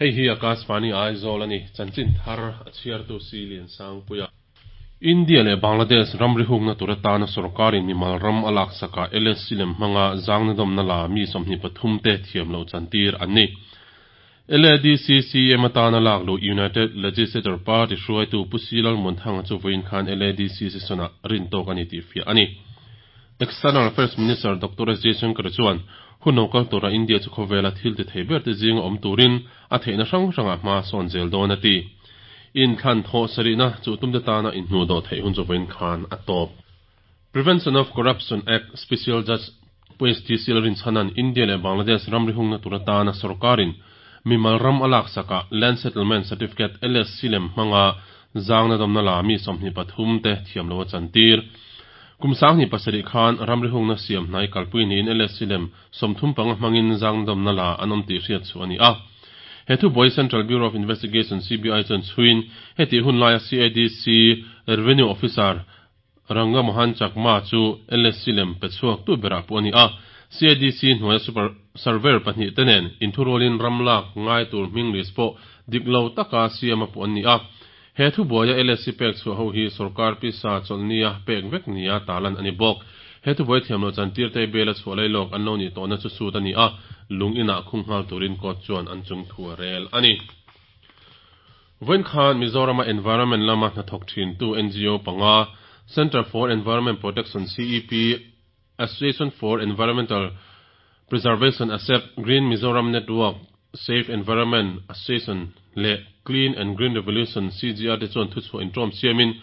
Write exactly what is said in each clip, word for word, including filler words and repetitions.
Hei hi Akashvani Aizawl ani chanchin thar a chhiartu si lian sang puia. India leh Bangladesh ramri hungna tur atana sorkarin mimal ram a lak saka L S C lem hmanga zangna dawmna la mi sawmhnih pathum te thiam lo chantir an ni. L A D C C M atana lak lu United Legislature Party hruaitu Pu C Lalmuanthanga chu vawiin khan L A D C session-a rin tawk ani tih fiah ani. External Affairs Minister Doctor S Jaishankar chuan hun lo kal tura India chu khawvela thil ti thei ber te zinga awm turin a theihna hrang hranga hma sawn zel dawn a ti. Inthlan thaw sarihna chu tumte tana inhnu do theih hun chu vawiin khan a tawp. Prevention of Corruption Act Special Judge Pu S T Sil Rinchhanan India leh Bangladesh ramri hungna tur atana sorkarin mimal ram alak saka Land Settlement Certificate L S C lem hmanga zangna dawmna la mi sawmhnih pathum te thiam lo a chantir. Kum sang ni pasarih khan ramri hungna siam hnai kalpui niin L S C lem sawmthum panga hmangin zangna dawmna la an awm tih hriat chu ani a. He thu buai Central Bureau of Investigation C B I chuan chhuin heti hun laia C I D C Revenue Officer Ranga Mohan Chakma chu L S C lem pe chhuak tu berah pu ani a. C I D C hnuaia super surveyor pahnih te nen inthurulin ramlak ngai tur hming list pawh dik lo taka siam a pu an ni a. He thu buaia L S C pek chu ho hi sarkar pisa chawlhnia pek vek nia talan ani bawk. He thu buai thiam lo chantir te bela chhuah lailawk an lo ni tawhna chu sut ani a, lung inah khung nghal turin court chuan an chung thu a rel ani. Vawiin khan Mizorama environment lama hnathawk thin tu N G O panga, Center for Environment Protection C E P, Association for Environmental Preservation A S E P, Green Mizoram Network, Safe Environment Association leh Clean and Green Revolution C G R te chuan thu chhuah intawm siamin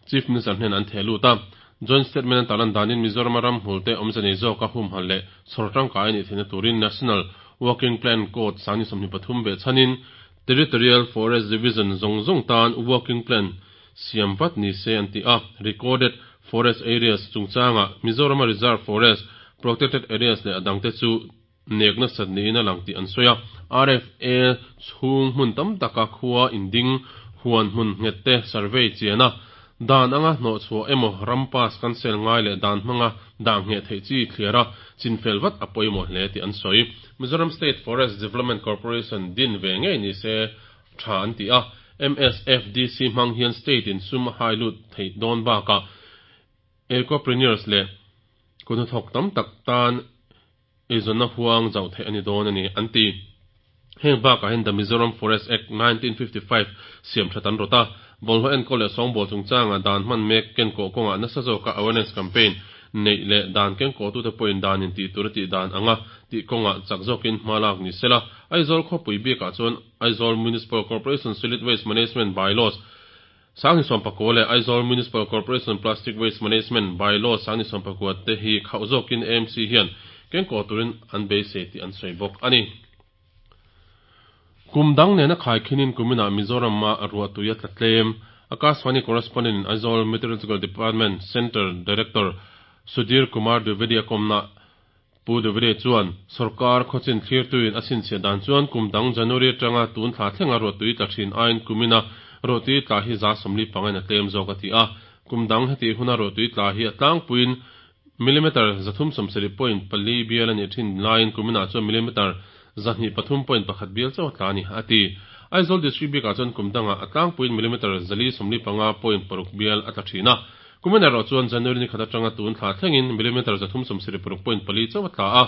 Chief Minister hnen an theh lut a. Joint statement an talan danin Mizoram ram hmul te awmze nei zawka humhal leh chhawr tangkai ani theihna turin National Working Plan Code sangni sawmhnih pathum be chhanin Territorial Forest Division zawng zawng tan working plan siam vat ni se an ti a. Recorded forest areas chungchanga Mizoram Reserve Forest, protected areas leh adang te chu nekna sat niin a lang tih an sawi a. R F A chhung hmun tam taka khua inding huan hmun nghet te survey chiana dan anga hnawh chhuah emaw rampas cancel ngai leh dan hmanga dah nge theih chi thliara chinfel vat a pawimawh hle tih an sawi. Mizoram State Forest Development Corporation din ve ngei ni se tha an ti a. M S F D C hmang hian state in sum a hai lut thei dawn baka ecopreneurs leh kuhnathawk tam tak tan eizawnna huang zauh theih ani dawn ani an ti. Heng bakah hian The Mizoram Forest Act nineteen fifty-five siam that an rota bawlhhlawh enkawl leh sawngbawl chungchanga dan hman mek ken kawh kawnga nasa zawka awareness campaign nei leh dan ken kawh tute pawhin dan in tih tur a tih dan anga tih kawnga chak zawkin hma lak ni sela. Aizawl khawpui bikah chuan Aizawl Municipal Corporation Solid Waste Management Bylaws sangni sawmpakua leh Aizawl Municipal Corporation Plastic Waste Management Bylaws sangni sawmpakua te hi khauh zawkin A M C hian ken kawh turin an beisei tih an sawi bawk ani. Kum dang nena khai khinin kumina Mizoram ma ruah tuia tlatlem. Akashvani correspondent in Aizawl Meteorological Department Center Director Sudhir Kumar Dwivedi akomna Pu Dwivedi chuan sarkar khawchin thlir tuin a chhinchhiah dan chuan kum dang January atanga tun thla thlenga ruah tui tla thin aiin kumina ruah tui tla hi za sawmli pangain a tlem zawk a ti a. Kum dang heti huna ruah tui tla hi a tlangpuiin millimeter zathum sawmsarih point pali bial ani thin laiin kumina chuan millimeter zahnih pathum point pakhat bial chaw tla ani a ti. Aizawl district bikah chuan kum danga a tlangpuiin millimeter zali sawmli panga point paruk bial a tla thin a, kumina erawh chuan January ni khat atanga tun thla thlengin millimeter zathum sawmsarih paruk point pali chaw a tla a.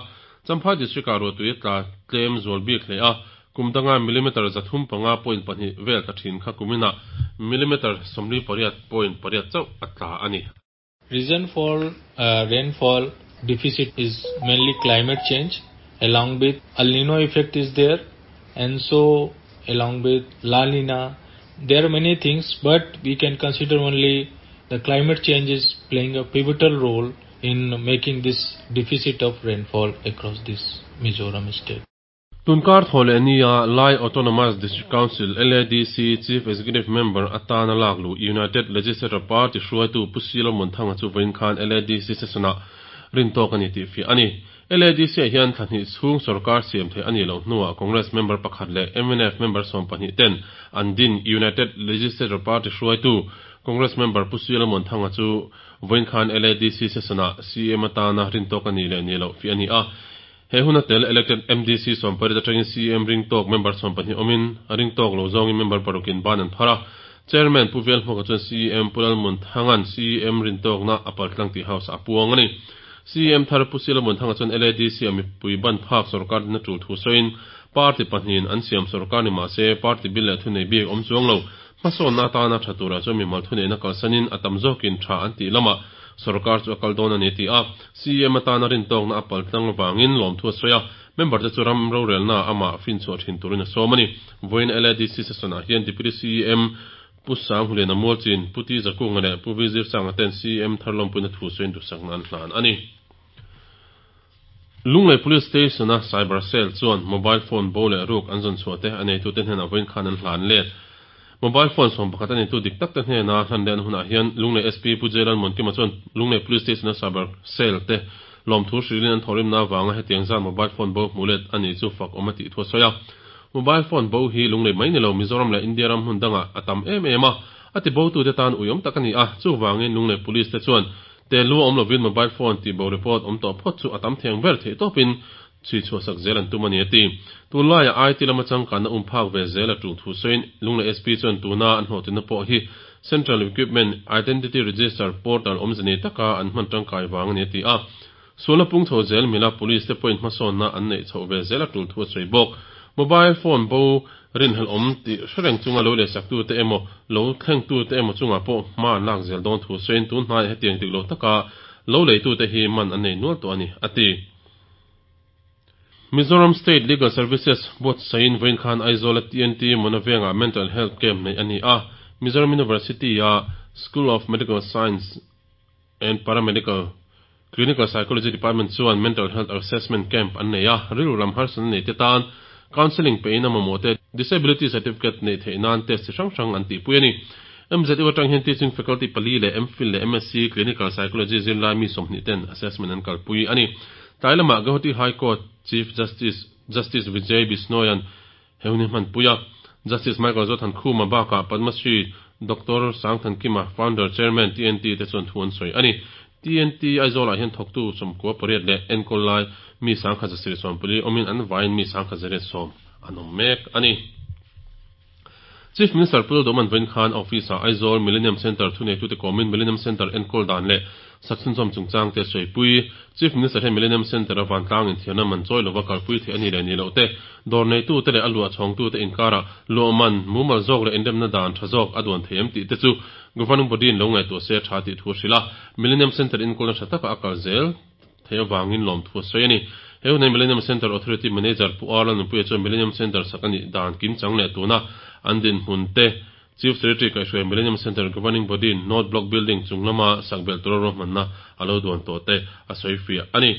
Champhai district ah ruah tui tla tlem zual bik hle a, kum danga millimeter zathum panga point pahnih vel tla thin kha kumina millimeter sawmli pariat point pariat chauh a tla ani. Reason for uh, rainfall deficit is mainly climate change, along with El Nino effect is there, and so along with La Nina. There are many things, but we can consider only the climate change is playing a pivotal role in making this deficit of rainfall across this Mizoram state. Tunkar thawle ania Lai Autonomous District Council L A D C Chief Executive Member atana laklu United Legislature Party hruaitu Pu C Lalmuanthanga chu vawiin khan L A D C session-ah rin tawk ani tih fiah ani. L A D C ah hian thlahnih chhung sarkar siam thei ani lo hnuah Congress member pakhat leh M N F member sawm pahnih ten an din United Legislature Party hruaitu Congress member Pu C Lalmuanthanga chu vawiin khan L A D C session-ah C M atana rin tawk ani leh ni lo fiah ani a. He huna tel elected M D C sawm pariat atangin C M ring tawk member sawm pahnih awmin, a ring tawk lo zawngin member parukin ban an phar a. Chairman Pu Velhmuaka chuan C M Pu Lalmuanthanga'n C M rin tawkna a paltlang tih house a puang a ni. C M thar Pu Lalmuanthanga chuan L A D C a mipui ban phak sorkar din a tul thu sawiin, party pahnihin an siam sorkar ni mahse party bil leh thunei bik awm chuang lo, hmasawnna atana tha turah chuan mimal thuneihna kalsanin a tam zawkin tha an tih lamah sorkar chu a kal dawn a ni ti a. C M atana rin tawkna a paltlang awangin lawmthu a sawi a, member te chu ram rorelna amah fin chhuah thin turin a sawm a ni. Vawiin L A D C session ah hian Deputy C M Pu Sanghuliana Mualchin, Pu T Zakunga leh Pu V Zirsanga ten C M thar lawmpuina thu sawiin duhsakna an hlan a ni. Lunglei Police Station a Cyber Cell chuan mobile phone bo leh ruk an zawn chhuah te a neitute hnenah vawiin khan an hlan let. Mobile phone sawm pakhat a neitu dik tak te hnena hlan leh an hunah hian Lunglei S P Pu J Lalmuankima chuan Lunglei Police Station a Cyber Cell te lawmthu hrilhin an thawhrimna avanga hetiang zan mobile phone bo hmuh let a ni chu fak awm a tih thu a sawi a. Mobile phone bo hi Lunglei mai ni lo Mizoram leh India ram hmun dangah a tam em em a, a ti bo tute tan ui awm tak a ni a, chuvangin Lunglei Police te chuan te lu awm lovin mobile phone tih bo report awm tawh phawt chu a tam theng ber theih tawpin chhui chhuah sak zel an tum a ni a ti. Tunlaiah I T lama changkanna um phak ve zel a tul thu sawiin Lunglei S P chuan tuna an hlawhtlinna pawh hi Central Equipment Identity Register portal awmze nei taka an hman tangkai vang a ni a ti a. Sualna pung chho zel mila police te pawhin hmasawnna an neih chhoh ve zel a tul thu a sawi bawk. Mobile phone bo rinhlelh awm tih hrereng chunga lo lehsak tute emaw lo thleng tute emaw chungah pawh hma an lak zel dawn thu sawiin tun hnaiah hetiang dik lo taka lo leitute hi man an nei nual tawh a ni a ti. Mizoram State Legal Services buatsain vawiin khan Aizawl a T N T Mona Vengah Mental Health Camp neih a ni a. Mizoram University a School of Medical Science and Paramedical Clinical Psychology Department chuan Mental Health Assessment Camp an nei a, rilru lam harsatna nei te tan counselling pein a mamawh te Disability Certificate neih theih nan test chi hrang hrang an tihpui a ni. M Z U atang hian teaching faculty pali leh M Phil leh M S C Clinical Psychology zirlai mi sawmhnih ten assessment an kalpui a ni. Tlai lamah Guwahati High Court Chief Justice Justice Vijay Bishnoian he hun hi hmanpui a. Justice Michael Zothankhuma bakah Padma Shri Doctor Sangthankima, Founder Chairman T N T te chuan thu an sawi a ni. T N T Aizawlah hian thawktu sawmkua pariat leh enkawl lai mi sangkhat zasarih sawmpali awmin an vaiin mi sangkhat zariat sawm an awm mek a ni. Chief Minister Pu Lalduhoma'n vawiin khan office ah Aizawl Millennium Centre thuneitute kawmin Millennium Centre enkawl dan leh sak chhunzawm chungchang te sawi. Chief Minister hian Millennium Centre a vantlang inthiarna man chawi lova kalpui theih a ni leh ni loh te, dawr neitute leh a luah chhawngtute inkarah luah man mumal zawk leh inremna dan tha zawk a duan thei em tih te chu Governing Body in lo ngaihtuah se tha tih thu a hrilh a. Millennium Centre enkawlna tha taka a kal zel thei avangin lawmthu a sawi a ni. He hunah Millennium Centre Authority Manager Pu R Lalnunpuia chuan Millennium Centre sak a nih dan kimchang leh tuna an dinhmun te, Chief Secretary kaihhruai Millennium Centre Governing Body North Block Building chung lama sak belh tura ruahmanna a lo duan tawh te a sawi fiah a ni.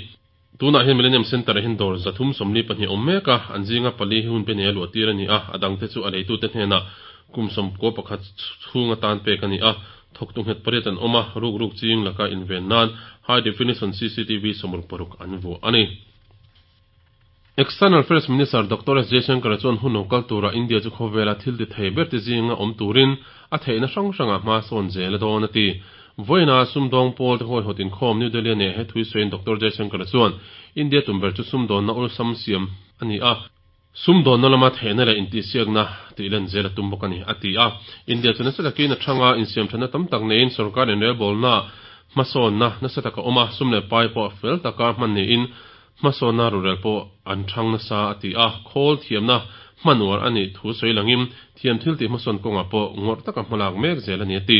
Tunah hian Millennium Centre ah hian dawr zathum sawmli pahnih awm mek a, an zinga pali hi hun pe nei a luah tir a ni a, a dangte chu a leitute hnenah kum sawmkua pakhat chhung atan pek a ni a. Thawktu nghet pariat an awm a, ruk ruk ching laka inven nan high definition C C T V sawmruk paruk an vuah a ni. External Affairs Minister Doctor S Jaishankar chuan hun lo kal tura India chu khawvela thil ti thei ber ti zinga awm turin a theihna hrang hrangah hma sawn zel a dawn a ti. Vawiina sumdawng pawl te huaihawt inkhawm New Delhi ne he thui sawiin Doctor Jaishankar chuan India tum ber chu sumdawnna awlsam siam a ni a, sumdawnna lama theihna leh intihsiakna tih len zel a tum bawk a ni a ti a. India chu nasa takin a thanga insiam thana tam tak neiin sarkar inrelbawlna hmasawnna nasa taka awm a, sum leh pai pawh fel taka hman niin hmasawnna rurel pawh an thang nasa a ti a. Khawl thiamna hmanuar a nih thu sawi langin thiam thil tih hmasawn kawngah pawh ngawrh taka hmalak mek zel a ni a ti.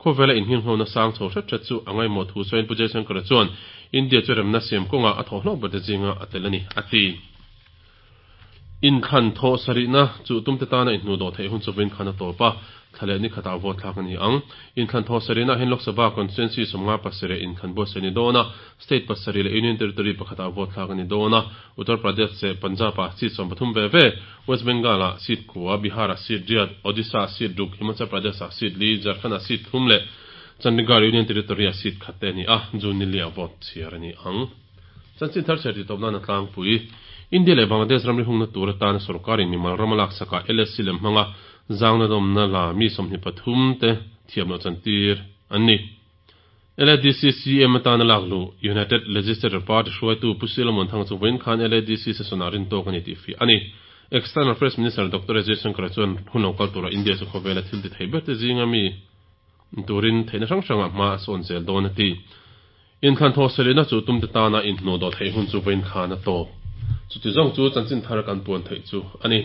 Khawvela innghirnghona sang chho hret hret chu a ngaimawh thu sawiin Pu Jaishankar chuan India chu remna siam kawngah a thawh hlawk ber te zinga a tel a ni a ti. Inthlan thaw sarihna chu tumte tana inhnu dawh theih hun chu vawiin khan a tawp a, thla leh ni khatah vote thlak a ni ang. Inthlan thaw sarihna hian Lok Sabha constituency sawmnga pasarih inthlan buatsaih a ni dawn a, state pasarih leh Union Territory pakhatah vote thlak a ni dawn a. Uttar Pradesh leh Punjab-ah seat sawm pathum ve ve, West Bengal-ah seat kua, Bihar-ah seat riat, Odisha-ah seat ruk, Himachal Pradesh-ah seat li, Jharkhand-ah seat thum leh Chandigarh Union Territory-ah seat khat te a ni a, June ni liah vote chhiar a ni ang. Chanchin thar chhiar tih tawp nan a tlangpui. India leh Bangladesh ramri hungna tur atana sarkarin mimal ram a lak sakah L S C lem hmanga zangna dawmna la mi sawmhnih pathum te thiam loh chantir an ni. LADC CM atana lakluh United Legislature Party hruaitu Pu Solomon Thanga chu vawiin khan LADC session-ah rin tawk a ni tih fiah a ni. External Affairs Minister Doctor S Jaishankar chuan hun lo kal tura India chu khawvela thil ti thei ber te zinga mi turin theihna hrang hrangah hma a sawn zel dawn a ti. Inthlan thaw selina chu tumte tana inhnuh dawh theih hun chu vawiin khan a tawp. Chuti zawng chu chanchin thar kan puan theih chu a ni.